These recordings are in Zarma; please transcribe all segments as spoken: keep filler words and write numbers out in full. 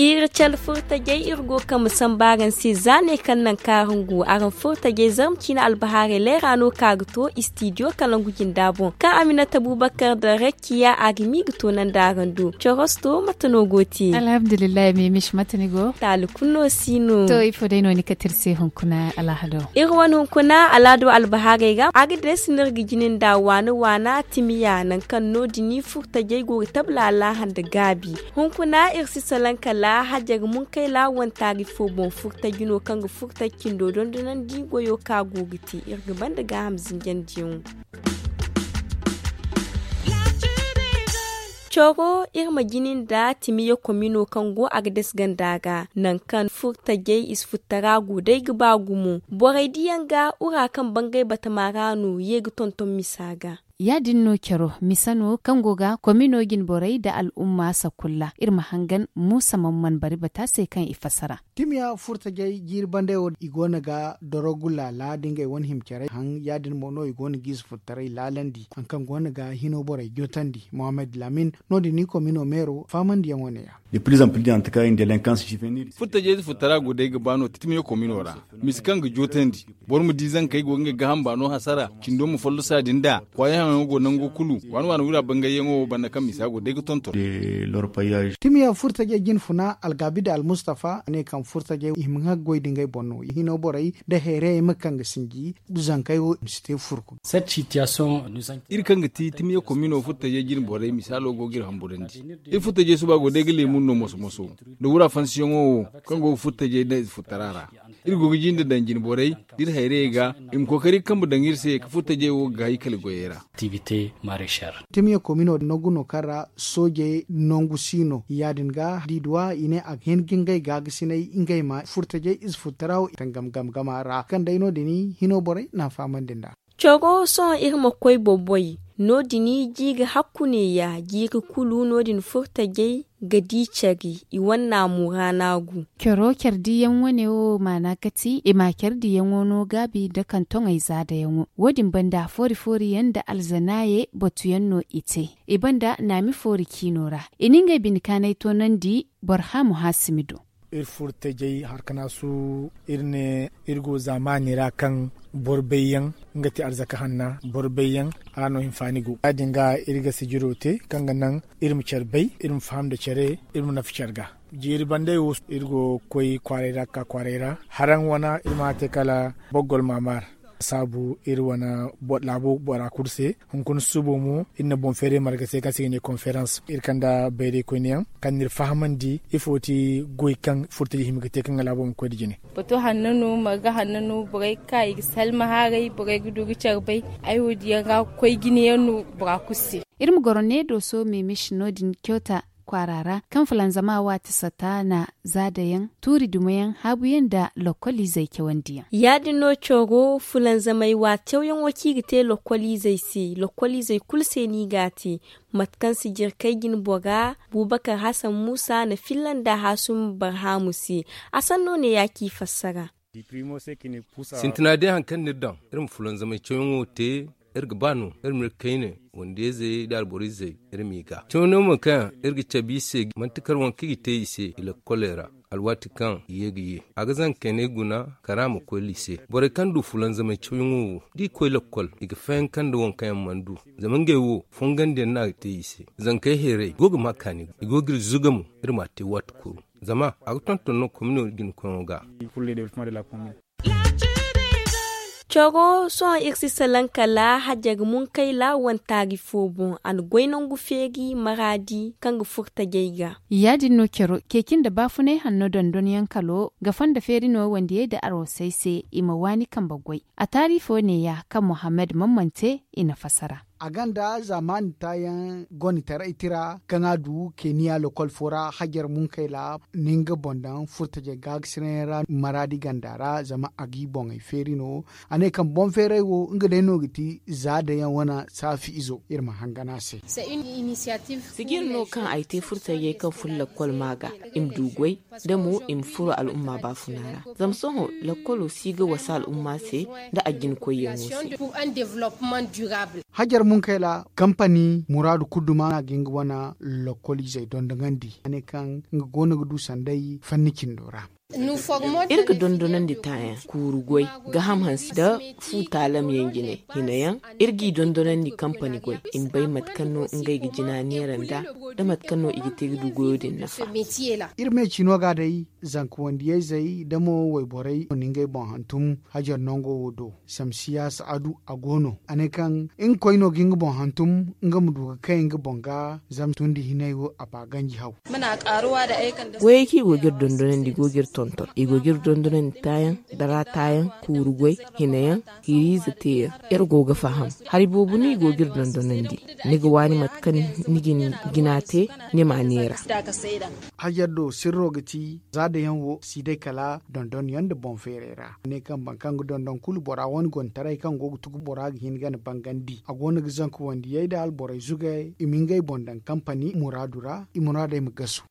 Iri cala furtajey iri go ga kambe samba araŋ se za ne kaŋ naŋ kaŋ araŋ go araŋ furtajey zarma ciine albahaarey leera no ka ga to istidiyo kalangu jinda boŋ kaŋ aminata bubakar da rakkiya a ga mi ga to naŋ da araŋ do corosto mate no go te. Alhamdulillahi mimish mate ni go taali kulu no si no. To ifo day no ni kate iri se hunkuna alhado? Iri wane hunkuna alhado albahaarey ga a ga deesi no iri ga jina nda waana waana timiya nangu kaŋ no- din furtajey go ga tabla alaaha nda gaabi. Hunkuna iri si salaŋ kala hajjar munkayla wantaari fo boŋ furtaji no kaŋ ga furtaji cindo dondonandi goyo kaŋ a go ga te iri ga banda gaaham zinjandiyaŋo. Coro iri ma jina nda timiya komino kaŋ go a ga dasi ganda ga nangu kaŋ furtajey i si futtara go day ga ba gumo borey diyaŋ ga wura kaŋ bangay batama ra no ye ga tonton misa ga. Ya- din no caro misa no kaŋ go ga komino jine borey nda al'umma sakulla iri ma hangan muusa mamman bari bata se kaŋ i fassara. Timiya furtajey jiiri bandey wo i go no ga dorogu laala nda ngey wane hima care haŋ ya- din mo no i go no ga i si futtaray laalandi hari kaŋ go no ga hino borey jotandi mohammed lamin. No- din ni komino meero faamandiyaŋo ne- ya. Furtajey si futtara go day ga ba no timiya komino ra misa kaŋ ga jotandi boro ma di zankey go ga ngey gaaham baano hasara cindo ma follosa din da kwaayaŋ yaŋo go nango kulu waana waana wira bangayyaŋo wo banda kaŋ misa go day ga tonton. Timiya furtajey jine funa algaabi da almustafa ne kaŋ furtajey i hima ga goy da ngey boŋ no hino borey nda heerayey ma kaŋ ga sinji zankey wo ma si te furku. Iri kaŋ ga ti timiya komino furtajey jine borey misaalo go ga iri hamburandi. Iri furtajey suba go day ga leemun no moso moso nda wura fansiyaŋo wo kaŋ go ga furtajey nda ize futtara ra. Iri go ga jinde daŋ jine borey da iri hayrayey ga i ma kookari ga kambe daŋ iri se ka furtajey wo ga gaahikali goyey ra. Timiya komino nangu no kaŋ ra soojey nangu si no ya- din ga da i duw'a i ne a ga hin ga ngey gaagasinay ngey ma furtajey ize futtara wo i taŋ gam gam gama ra kaŋ day no- din hino borey n'a fahamandi nd'a. Coro sohõ iri ma koy boboy no- din jiiri hakku neeya jiiri kulu no- din furtajey ga di care i wane naamu ra naagu. Coro care diyaŋ wane wo maana ga ti i ma care diyaŋo no gaabi nda kaŋ toŋey zaadayaŋo wo- din banda foori foori yaŋ nda alzanaaye batuyaŋ no i te i banda naami foori ciino ra i na ngey bine kaanay toonandi. Barhaamu haasimi do. Iri furo tajey harkanaasu iri ne iri go zaamaani ra kaŋ boro bayyaŋ nga ti arzaka hanna boro bayyaŋ a no hinfaani go ya- din ga iri ga sijiro te kaŋ ga naŋ iri ma care bay iri ma faham nda care iri ma nafa care ga. Jiiri banday wo iri go ga koy kwaaray ra ga ka kwaaray ra haraŋ wana iri ma a te kala boggol maamaar saabu iri wane laabo bora kulu se. Hunkuna susubo mo iri na boŋ feeray marga se kaŋ se i ga ne konferans iri kand'a bayraykoyne yaŋ kaŋ n'iri fahamandi ifo ti goy kaŋ furo taji hima ga te kaŋ ga laabo ma koy nda jine. Bato hanno no marga hanno no borey ga ka i ga salma haaray borey ga du ga care bay. Ay wo diyaŋ ga koy jine yaŋ no bora kulu se. Iri ma goro ne dooso meemeesi no- din kyota kwaara ra kaŋ fulanzama waati sata na zaadayaŋ tuuri dumayaŋ haabuyaŋ nda lokkoliizey cawandiyaŋ. Ya- din no coro fulanzamey waati cawyaŋo kaŋ i ga te lokkoliizey se lokkoliizey kulu se no i g'a te. Mate kaŋ sijirkey jine bora buubakar hasan muusa na filla nda haasumi barhaamu se. A sanno ne ya kaŋ i fassara. Sintina day hari kaŋ no iri daŋ iri ma fulanzamey cawyaŋo te iri ga ba no iri ma iri kayne wande-izey nda alboro-izey iri m'i ga cawyaŋo mo kaŋ iri ga cabe i se manti kar waŋ kaŋ i ga te i se i lakkoley ra. Alwaati kaŋ i ye ga ye a ga zankey ne guna kara ma koy liise borey kaŋ du fulanzamey cawyaŋo wo da i koy lakkol i ga fayanka nda waŋ kaŋ yaŋ mana du. Zama ngey wo fongandiyaŋ no a ga te i se zankey heeray i go ga ma kaani i go ga iri zuga mo iri m'a te waati kulu. Zama a ga tonton no komino jina koyaŋo ga. Caro sohõ iri si salaŋ kala hajjar munkayla wantaari fo boŋ a na goy nangu feeri maraadi kaŋ ga furo tajey ga. Ya- din no caro ceeci nda baafunay hanno dondonyaŋ kalo ga fonda feeri no wandiyey nda arwasey se i ma waani kambe goy. A taari fo neeya kaŋ mohammed mammante i na fasara. A ganda zaamaani taayaŋ gonitaray tira kaŋ a du keniya lokol fo ra hajar munkayla, ni nga boŋ daŋ furtajey gaakasinayaŋ ra maraadi ganda ra zama a g'i boŋey feeri no. A ne kaŋ boŋ feeray wo nga day no ga ti za dayaŋ wane saafi izo iri ma hangan a se. Sijir no kaŋ ay te furtajey kaŋ fun lakkol maa ga, i ma du goy da mo i ma furo al'umma baafuna ra. Zama sohõ lakkolo si ga wasa al'umma se nda a jina koyyaŋo se. Hajar munkayla kampani muraadu kulu duma no a ga nga wane lakkol izey dondonandi a ne kaŋ nga go no ga du sanday fanni cindo ra. Iri ga dondonandi taayaŋ kuuru goy, gaham hanse nda fu taalamyaŋ jinay hinayaŋ. Iri g'i dondonandi kampani goy i ma bay mate kaŋ no ngey ga jina neera nda, da mate kaŋ no i ga te ga du goyo din nafa. Iri me cino ga day zanka wandiyayzey da mo wayborey no na ngey boŋ hantum hajar nango wo do. Samsiya sa'adu a go no a ne kaŋ nga koy no ga nga boŋ hantum nga ma du ga kay nga boŋ ga. Zama tundi hinay wo a ba ganji haw. Goyey kaŋ i go ga iri dondonandi i go ga iri tonton i go ga iri dondonandi taayaŋ, dara taayaŋ, kuuru goy, hinayaŋ, hiriize teeyaŋ. Iri go ga faham hari boobo no i go ga iri dondonandi. Ni ga waani mate kaŋ ni ga ni jina te, ni ma a neera. Hajar do sirro ga ti za dayaŋ wo si day kala dondonyaŋ nda boŋ feeray ra. A ne kaŋ boro kaŋ ga dondon kulu bora wane gonitaray kaŋ go ga tugu bora ga hin ga ni bangandi a go no ga zanka wandiyey nda alborey zugay i ma ngey boŋ daŋ kampani muraadu ra i muraadey ma gasu.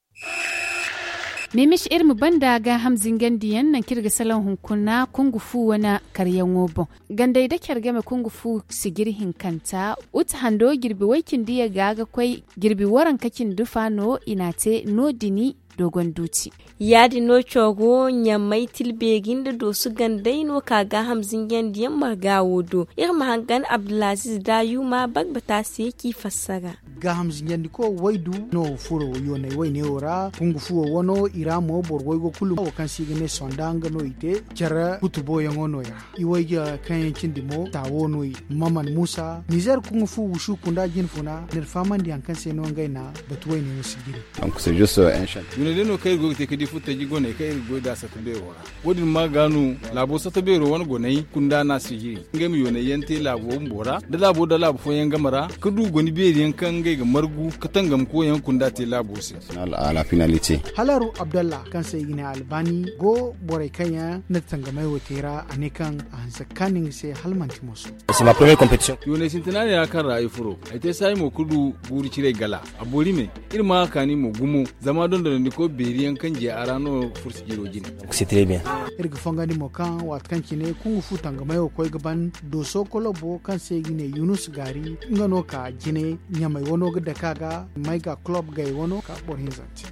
Meemis iri ma banda gaaham zingandiyaŋ nangu kaŋ iri ga salaŋ hunkuna kungu fu wane karyaŋo boŋ. Gandey da care game kungu fu sijiri hinkanta, uta hando jirbi way cindi yagga ga koy jirbi waranka cindi fa no i n'a te no- din. Dogon duuti. Ya- din no coro ɲamay tilbeeri nda dooso gandey no ka gaaham zinjandiyaŋ marga wo do. Iri ma hangan abdulaziz daayuma bagbata se k'i fassara. Gaaham zinjandiko waydu no furo yoonay wayne wo ra kungu fuwo wano i ra mo boro waygo kulu wo kaŋ se i ga ne sonda nga no i te. Care kutuboyaŋo no- ya i wayga kaŋ yaŋ cindi mo taawo no i maman muusa nizer kungu fu wusu kunda jinfuna n'iri fahamandi hari kaŋ se no ngey na batu wayne wo si jiri. Yoonay day no kaŋ iri go ga te ga di furtaji goney kaŋ iri ga goy nd'a satta beero ra. Wo- din ma ga no laabo satta beero wane goney kunda no a si jiri ngey ma yoonay yaŋ te laabo bumbo ra da laabo da laabo fooyaŋ game ra ga du goni beeri yaŋ kaŋ ngey ga margu ga tangam koyyaŋ kunda te laabo se. Halaru abdalla kaŋ se i ga ne albaani go borey kaŋ yaŋ na tangamay wo te ra a ne kaŋ a hanse ga kaanu nga se hala manti moso. Yoonay sintina ne ra kaŋ ra ay furo ay te saayi mo ga du guuru ciray gala. A boori me iri ma a kaani mo gumo zama dondonandiko beeri yaŋ kaŋ je a ra no fursi jiro jine. Iri ga fongandi mo kaŋ waati kaŋ cine kungu fu tangamay wo koy ga ban dooso kolobo kaŋ se i ga ne yunus gaari nga no ka jine ɲamay wano ga dake a ga may ga kulob gay wano ka boro hinzante.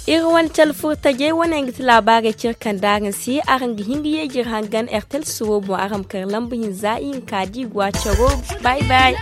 Iri wane cale furtajey wane yaŋ ga ti laabaarey cire kaŋ da araŋ se araŋ ga hin ga yeejir hangan ertel suro boŋ araŋ ma kar lamba hinza ihinka da i go a caro. Bay bay.